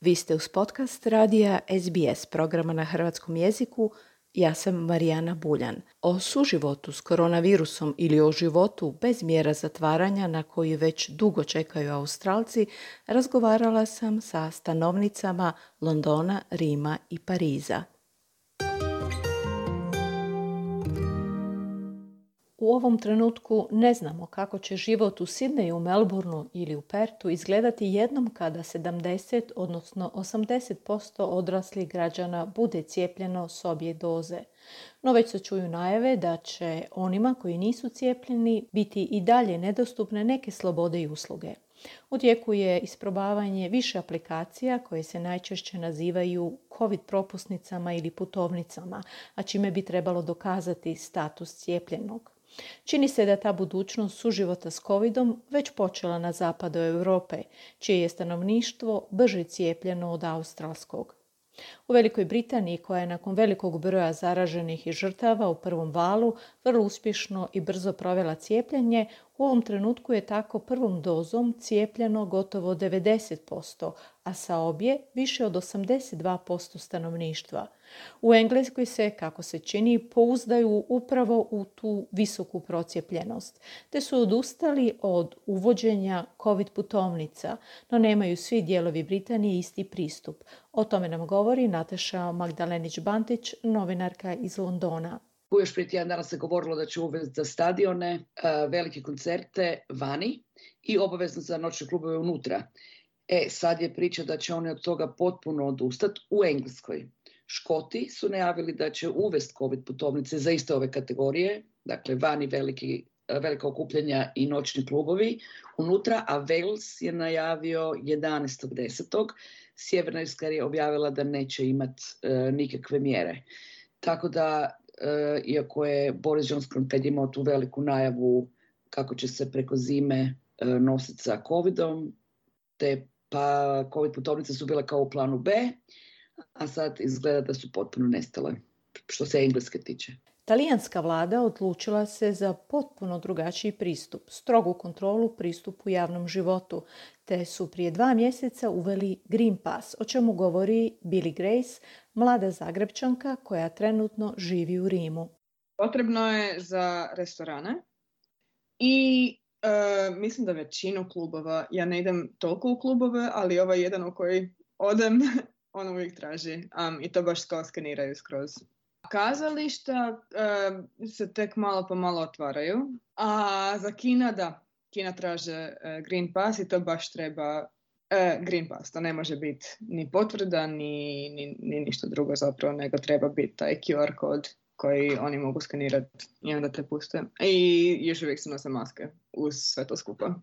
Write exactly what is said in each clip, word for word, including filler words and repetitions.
Vi ste uz podcast radija S B S programa na hrvatskom jeziku. Ja sam Marijana Buljan. O suživotu s koronavirusom ili o životu bez mjera zatvaranja na koji već dugo čekaju Australci razgovarala sam sa stanovnicama Londona, Rima i Pariza. U ovom trenutku ne znamo kako će život u Sidneju, Melbourneu ili u Pertu izgledati jednom kada sedamdeset, odnosno osamdeset posto odraslih građana bude cijepljeno s obje doze. No već se čuju najave da će onima koji nisu cijepljeni biti i dalje nedostupne neke slobode i usluge. U tijeku je isprobavanje više aplikacija koje se najčešće nazivaju COVID propusnicama ili putovnicama, a čime bi trebalo dokazati status cijepljenog. Čini se da ta budućnost suživota s covidom već počela na zapadu Europe, čije je stanovništvo brže cijepljeno od australskog. U Velikoj Britaniji, koja je nakon velikog broja zaraženih i žrtava u prvom valu vrlo uspješno i brzo provela cijepljenje, u ovom trenutku je tako prvom dozom cijepljeno gotovo devedeset posto, a sa obje više od osamdeset dva posto stanovništva. U Engleskoj se, kako se čini, pouzdaju upravo u tu visoku procijepljenost, te su odustali od uvođenja COVID putovnica, no nemaju svi dijelovi Britanije isti pristup. O tome nam govori Nataša Magdalenić-Bantić, novinarka iz Londona. Još prije tjedan dana se govorilo da će uvesti za stadione, velike koncerte vani i obavezno za noćne klubove unutra. E, sad je priča da će oni od toga potpuno odustati u Engleskoj. Škoti su najavili da će uvesti COVID putovnice za iste ove kategorije, dakle vani veliki, velika okupljanja i noćni klubovi unutra, a Wales je najavio jedanaestog desetog Sjeverna Irska je objavila da neće imati e, nikakve mjere. Tako da, e, iako je Boris Johnson kad je imao tu veliku najavu kako će se preko zime e, nositi sa covidom, te pa COVID putovnice su bile kao u planu B, a sad izgleda da su potpuno nestale, što se Engleske tiče. Talijanska vlada odlučila se za potpuno drugačiji pristup, strogu kontrolu pristupu javnom životu, te su prije dva mjeseca uveli Green Pass, o čemu govori Billy Grace, mlada Zagrebčanka koja trenutno živi u Rimu. Potrebno je za restorane i uh, mislim da većinu klubova, ja ne idem toliko u klubove, ali ovaj jedan u koji odem, on uvijek traži um, i to baš kao skeniraju skroz. Kazališta uh, se tek malo po malo otvaraju, a za kina da, kina traže uh, Green Pass i to baš treba uh, Green Pass, to ne može biti ni potvrda, ni, ni, ni ništa drugo zapravo, nego treba biti taj Q R kod koji oni mogu skenirati i onda te puste. I još uvijek se nose maske uz sve to skupa.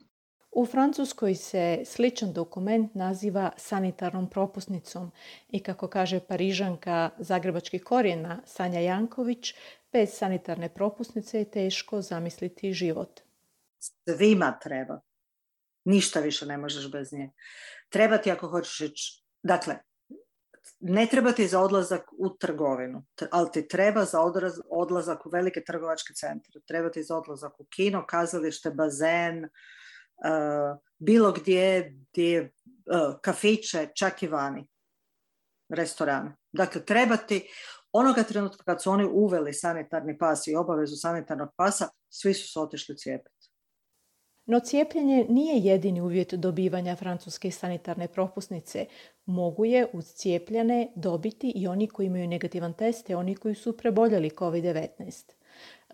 U Francuskoj se sličan dokument naziva sanitarnom propusnicom i kako kaže Parižanka zagrebačkih korijena Sanja Janković, bez sanitarne propusnice je teško zamisliti život. Svima treba. Ništa više ne možeš bez nje. Treba ti ako hoćeš ići. Dakle, ne treba ti za odlazak u trgovinu, ali ti treba za odraz, odlazak u velike trgovačke centre. Treba ti za odlazak u kino, kazalište, bazen, Uh, bilo gdje, gdje uh, kafiće, čak i vani, restorane. Dakle, treba ti, onoga trenutka kad su oni uveli sanitarni pas i obavezu sanitarnog pasa, svi su se otišli cijepiti. No cijepljenje nije jedini uvjet dobivanja francuske sanitarne propusnice. Mogu je uz cijepljene dobiti i oni koji imaju negativan test i oni koji su preboljeli covid devetnaest.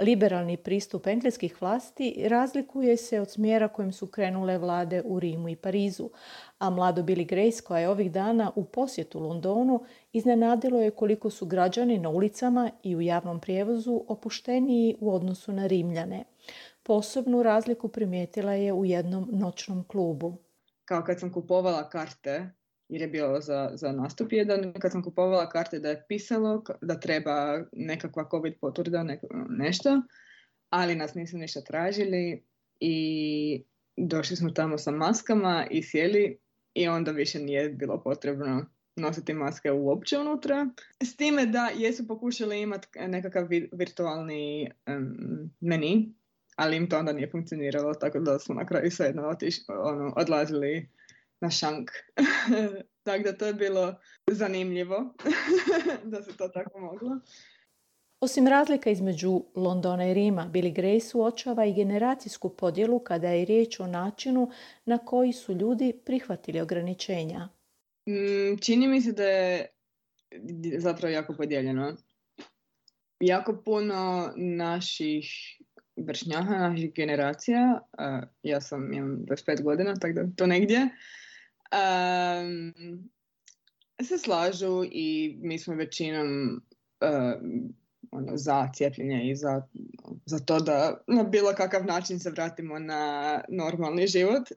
Liberalni pristup engleskih vlasti razlikuje se od smjera kojim su krenule vlade u Rimu i Parizu, a mlado Billy Grace, koja je ovih dana u posjetu Londonu, iznenadilo je koliko su građani na ulicama i u javnom prijevozu opušteniji u odnosu na Rimljane. Posebnu razliku primijetila je u jednom noćnom klubu. Kao kad sam kupovala karte, jer je bilo za, za nastup jedan, kad sam kupovala karte da je pisalo da treba nekakva COVID potvrda, nek- nešto, ali nas nisu ništa tražili i došli smo tamo sa maskama i sjeli i onda više nije bilo potrebno nositi maske uopće unutra. S time da jesu pokušali imati nekakav vi- virtualni um, meni, ali im to onda nije funkcioniralo, tako da smo na kraju svejedno otiš, ono, odlazili na šank. Tako da to je bilo zanimljivo da se to tako moglo. Osim razlika između Londona i Rima, Billy Grace uočava i generacijsku podjelu kada je riječ o načinu na koji su ljudi prihvatili ograničenja. Mm, čini mi se da je zapravo jako podijeljeno. Jako puno naših vršnjaka, naših generacija, uh, ja sam, imam dvadeset pet godina, tako da to negdje, um, se slažu i mi smo većinom uh, ono, za cijepljenje i za, za to da na bilo kakav način se vratimo na normalni život.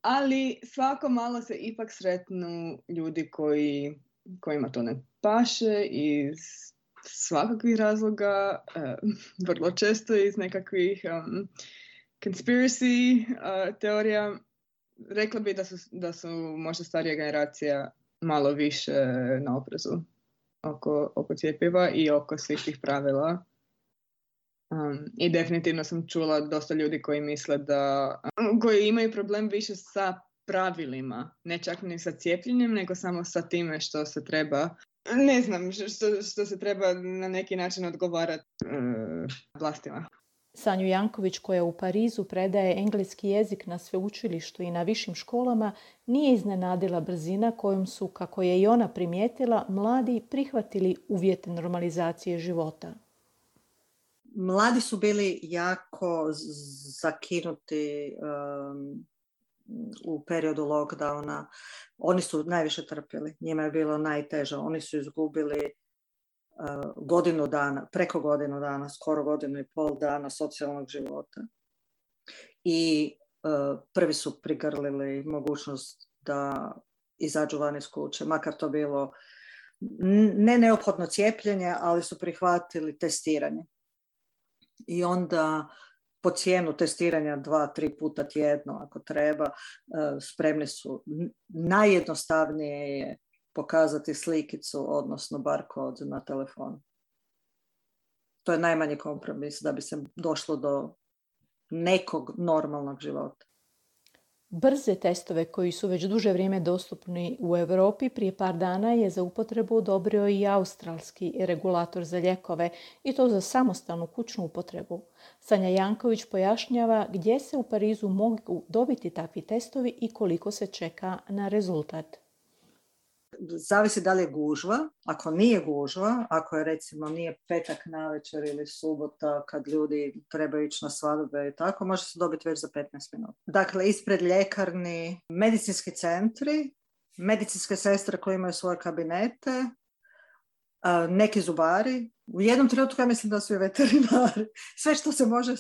Ali svako malo se ipak sretnu ljudi koji, kojima to ne paše iz svakakvih razloga, uh, vrlo često iz nekakvih um, conspiracy uh, teorija. Rekla bi da su, da su možda starija generacija malo više na oprezu oko, oko cjepiva i oko svih tih pravila. Um, I definitivno sam čula dosta ljudi koji misle da, um, koji imaju problem više sa pravilima, ne čak ni sa cijepljenjem, nego samo sa time što se treba, ne znam, što, što se treba na neki način odgovarati uh, vlastima. Sanju Janković, koja u Parizu predaje engleski jezik na sveučilištu i na višim školama, nije iznenadila brzina kojom su, kako je i ona primijetila, mladi prihvatili uvjete normalizacije života. Mladi su bili jako zakinuti um, u periodu lockdowna. Oni su najviše trpjeli. Njima je bilo najteže. Oni su izgubili uh, godinu dana, preko godinu dana, skoro godinu i pol dana socijalnog života. I uh, prvi su prigrlili mogućnost da izađu van iz kuće, makar to bilo ne neophodno cijepljenje, ali su prihvatili testiranje. I onda po cijenu testiranja dva, tri puta tjedno ako treba, spremni su. Najjednostavnije je pokazati slikicu, odnosno barkod na telefonu. To je najmanji kompromis da bi se došlo do nekog normalnog života. Brze testove koji su već duže vrijeme dostupni u Europi prije par dana je za upotrebu odobrio i australski regulator za lijekove i to za samostalnu kućnu upotrebu. Sanja Janković pojašnjava gdje se u Parizu mogu dobiti takvi testovi i koliko se čeka na rezultat. Zavisi da li je gužva. Ako nije gužva, ako je recimo nije petak navečer ili subota kad ljudi trebaju ići na svadbe i tako, može se dobiti već za petnaest minuta. Dakle, ispred ljekarni, medicinski centri, medicinske sestre koje imaju svoje kabinete, neki zubari. U jednom trenutku ja mislim da su i veterinari. Sve što se može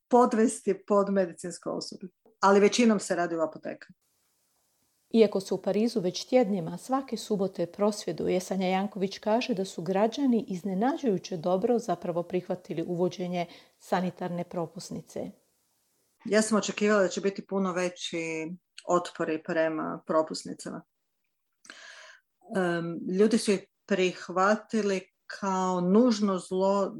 podvesti pod medicinsko osoblje. Ali većinom se radi u apotekama. Iako se u Parizu već tjednima svake subote prosvjeduje, Sanja Janković kaže da su građani iznenađujuće dobro zapravo prihvatili uvođenje sanitarne propusnice. Ja sam očekivala da će biti puno veći otpori prema propusnicama. Um, ljudi su ih prihvatili kao nužno zlo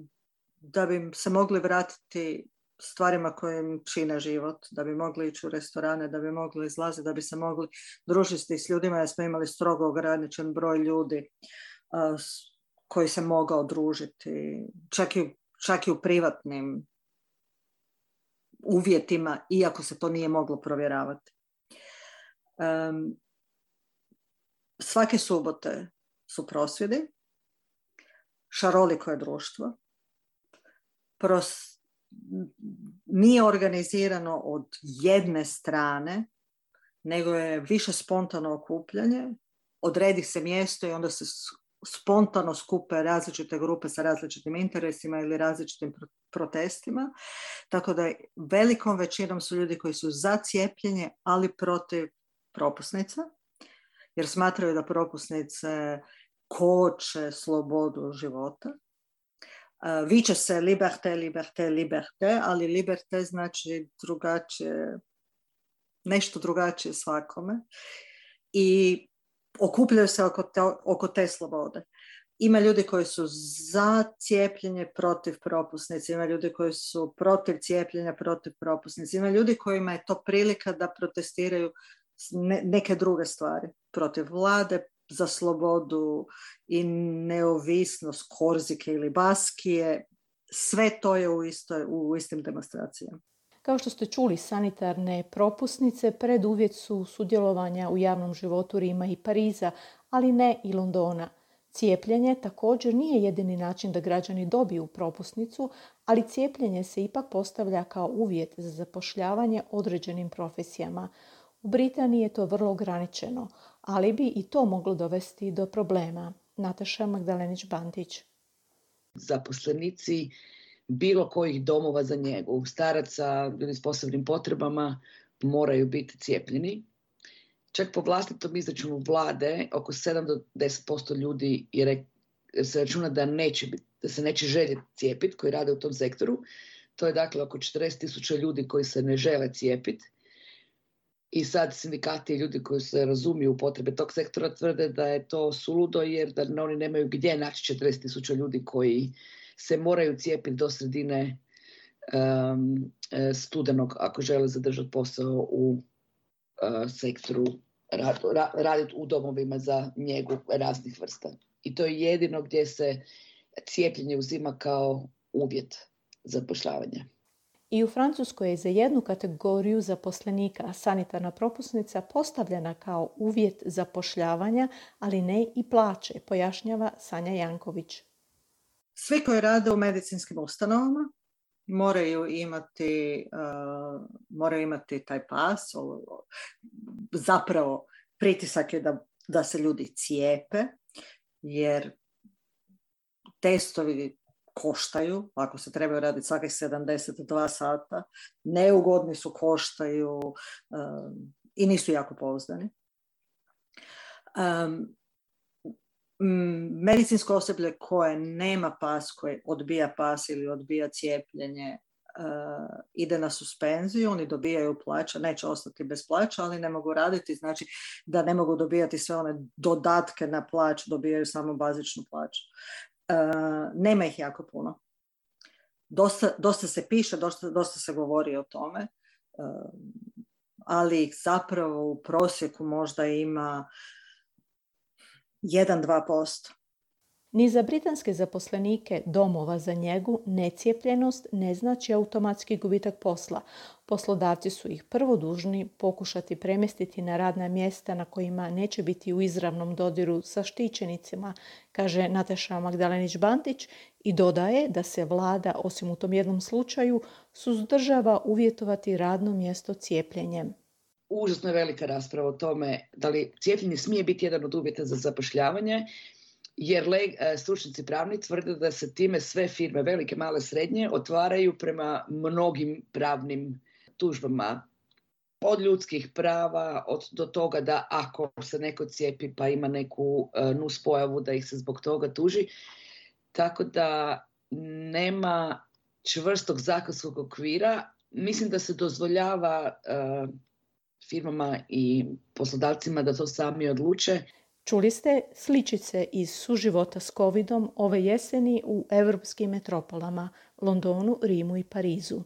da bi se mogli vratiti stvarima koje im čine život, da bi mogli ići u restorane, da bi mogli izlaziti, da bi se mogli družiti s ljudima, jer smo imali strogo ograničen broj ljudi uh, koji se mogao družiti, čak i, čak i u privatnim uvjetima, iako se to nije moglo provjeravati. Um, svake subote su prosvjedi, šaroliko je društvo, pros nije organizirano od jedne strane, nego je više spontano okupljanje. Odredi se mjesto i onda se spontano skupe različite grupe sa različitim interesima ili različitim protestima. Tako da velikom većinom su ljudi koji su za cijepljenje, ali protiv propusnica, jer smatraju da propusnice koče slobodu života. Uh, viče se liberté, liberté, liberté, ali liberté znači drugačije, nešto drugačije svakome. I okupljaju se oko te, oko te slobode. Ima ljudi koji su za cijepljenje, protiv propusnice, ima ljudi koji su protiv cijepljenja, protiv propusnice, ima ljudi kojima je to prilika da protestiraju ne, neke druge stvari protiv vlade, za slobodu i neovisnost Korzike ili Baskije. Sve to je u, istoj, u istim demonstracijama. Kao što ste čuli, sanitarne propusnice preduvjet su sudjelovanja u javnom životu Rima i Pariza, ali ne i Londona. Cijepljenje također nije jedini način da građani dobiju propusnicu, ali cijepljenje se ipak postavlja kao uvjet za zapošljavanje određenim profesijama. U Britaniji je to vrlo ograničeno, ali bi i to moglo dovesti do problema. Nataša Magdalenić-Bantić. Zaposlenici bilo kojih domova za njegu, staraca, ljudi s posebnim potrebama, moraju biti cijepljeni. Čak po vlastitom izračunu vlade, oko sedam do deset posto ljudi je, se računa da, neće biti, da se neće željeti cijepiti, koji rade u tom sektoru. To je dakle oko četrdeset tisuća ljudi koji se ne žele cijepiti. I sad sindikati i ljudi koji se razumiju u potrebe tog sektora tvrde da je to suludo jer da oni nemaju gdje naći četrdeset tisuća ljudi koji se moraju cijepiti do sredine um, studenog ako žele zadržati posao u uh, sektoru, rad, ra, raditi u domovima za njegu raznih vrsta. I to je jedino gdje se cijepljenje uzima kao uvjet zapošljavanja. I u Francuskoj je za jednu kategoriju zaposlenika sanitarna propusnica postavljena kao uvjet zapošljavanja, ali ne i plaće, pojašnjava Sanja Janković. Svi koji rade u medicinskim ustanovama moraju imati, uh, moraju imati taj pas. Zapravo pritisak je da, da se ljudi cijepe, jer testovi koštaju, ako se trebaju raditi svakih sedamdeset dva sata, neugodni su, koštaju um, i nisu jako pouzdani. Um, medicinsko osoblje koje nema pas, koje odbija pas ili odbija cijepljenje, uh, ide na suspenziju, oni dobijaju plaća, neće ostati bez plaća, ali ne mogu raditi, znači da ne mogu dobijati sve one dodatke na plaću, dobijaju samo bazičnu plaću. Uh, nema ih jako puno. Dosta, dosta se piše, dosta, dosta se govori o tome, uh, ali ih zapravo u prosjeku možda ima jedan do dva posto. Ni za britanske zaposlenike domova za njegu necijepljenost ne znači automatski gubitak posla. Poslodavci su ih prvo dužni pokušati premjestiti na radna mjesta na kojima neće biti u izravnom dodiru sa štićenicima, kaže Nataša Magdalenić-Bantić i dodaje da se vlada, osim u tom jednom slučaju, suzdržava uvjetovati radno mjesto cijepljenjem. Užasno je velika rasprava o tome da li cijepljenje smije biti jedan od uvjeta za zapošljavanje, jer stručnjaci pravni tvrde da se time sve firme, velike, male, srednje, otvaraju prema mnogim pravnim tužbama. Od ljudskih prava, od, do toga da ako se neko cijepi pa ima neku uh, nuspojavu da ih se zbog toga tuži. Tako da nema čvrstog zakonskog okvira. Mislim da se dozvoljava uh, firmama i poslodavcima da to sami odluče. Čuli ste sličice iz suživota s covidom ove jeseni u europskim metropolama, Londonu, Rimu i Parizu.